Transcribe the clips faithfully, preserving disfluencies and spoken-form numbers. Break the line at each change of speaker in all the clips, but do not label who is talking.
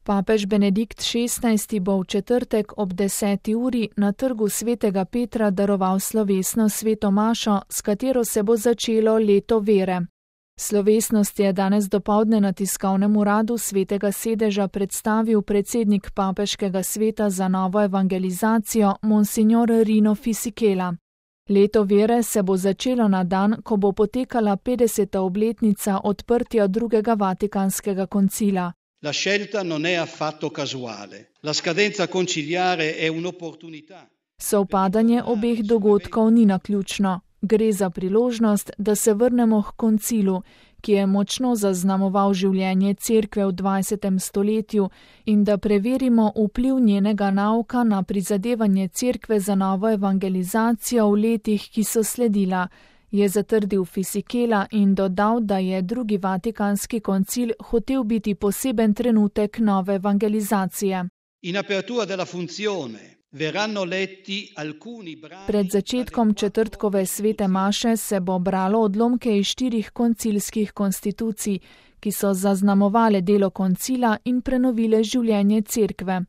Papež Benedikt šestnajsti bo v četrtek ob deseti uri na trgu svetega Petra daroval slovesno sveto mašo, s katero se bo začelo leto vere. Slovesnost je danes dopoldne na tiskovnem uradu svetega sedeža predstavil predsednik papeškega sveta za novo evangelizacijo Monsignor Rino Fisichella. Leto vere se bo začelo na dan, ko bo potekala petdeseta obletnica odprtja drugega vatikanskega koncila.
La scelta non è affatto casuale. La scadenza conciliare è un'opportunità.
Sovpadanje obeh dogodkov ni naključno. Gre za priložnost, da se vrnemo k koncilu, ki je močno zaznamoval življenje cerkve v dvajsetem stoletju, in da preverimo vpliv njenega nauka na prizadevanje cerkve za novo evangelizacijo v letih, ki so sledila, je zatrdil Fisichella in dodal, da je drugi vatikanski koncil hotel biti poseben trenutek nove evangelizacije.
In apertura della funzione.
Pred začetkom četrtkove svete maše se bo bralo odlomke iz štirih koncilskih konstitucij, ki so zaznamovale delo koncila in prenovile življenje cerkve.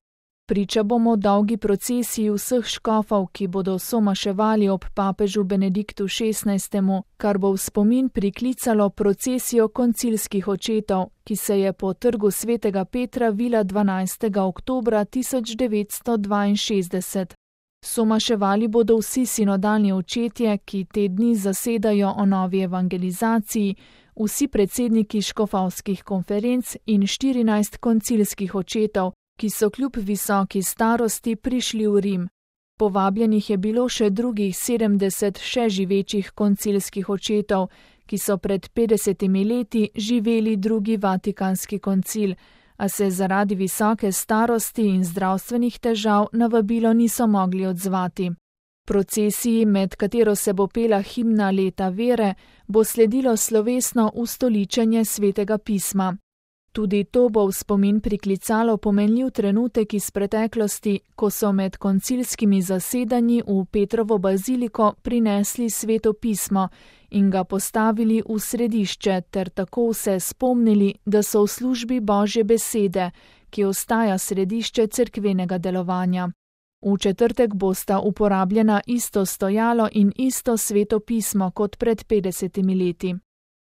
Priča bomo dolgi procesiji vseh škofov, ki bodo somaševali ob papežu Benediktu šestnajstemu, kar bo v spomin priklicalo procesijo koncilskih očetov, ki se je po trgu svetega Petra vila dvanajstega oktobra tisoč devetsto dvainšestdeset. Somaševali bodo vsi sinodalni očetje, ki te dni zasedajo o novi evangelizaciji, vsi predsedniki škofovskih konferenc in štirinajst koncilskih očetov, ki so kljub visoki starosti prišli v Rim. Povabljenih je bilo še drugih sedemdeset še živečih koncilskih očetov, ki so pred petdesetimi leti živeli drugi vatikanski koncil, a se zaradi visoke starosti in zdravstvenih težav na vabilo niso mogli odzvati. Procesiji, med katero se bo pela himna leta vere, bo sledilo slovesno ustoličenje svetega pisma. Tudi to bo v spomin priklicalo pomenljiv trenutek iz preteklosti, ko so med koncilskimi zasedanji v Petrovo baziliko prinesli sveto pismo in ga postavili v središče ter tako se spomnili, da so v službi Božje besede, ki ostaja središče cerkvenega delovanja. V četrtek bosta uporabljena isto stojalo in isto sveto pismo kot pred petdesetimi leti.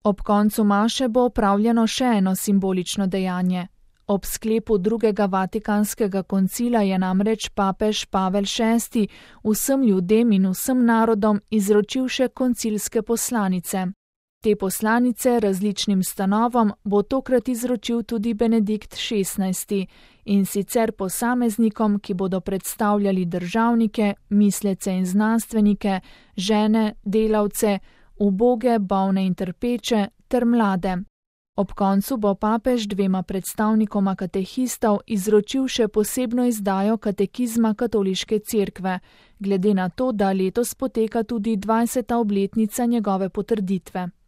Ob koncu maše bo opravljeno še eno simbolično dejanje. Ob sklepu drugega vatikanskega koncila je namreč papež Pavel šesti vsem ljudem in vsem narodom izročil še koncilske poslanice. Te poslanice različnim stanovom bo tokrat izročil tudi Benedikt šestnajsti in sicer posameznikom, ki bodo predstavljali državnike, mislece in znanstvenike, žene, delavce, uboge, bolne in trpeče ter mlade. Ob koncu bo papež dvema predstavnikoma katehistov izročil še posebno izdajo katekizma katoliške cerkve, glede na to, da letos poteka tudi dvajseta obletnica njegove potrditve.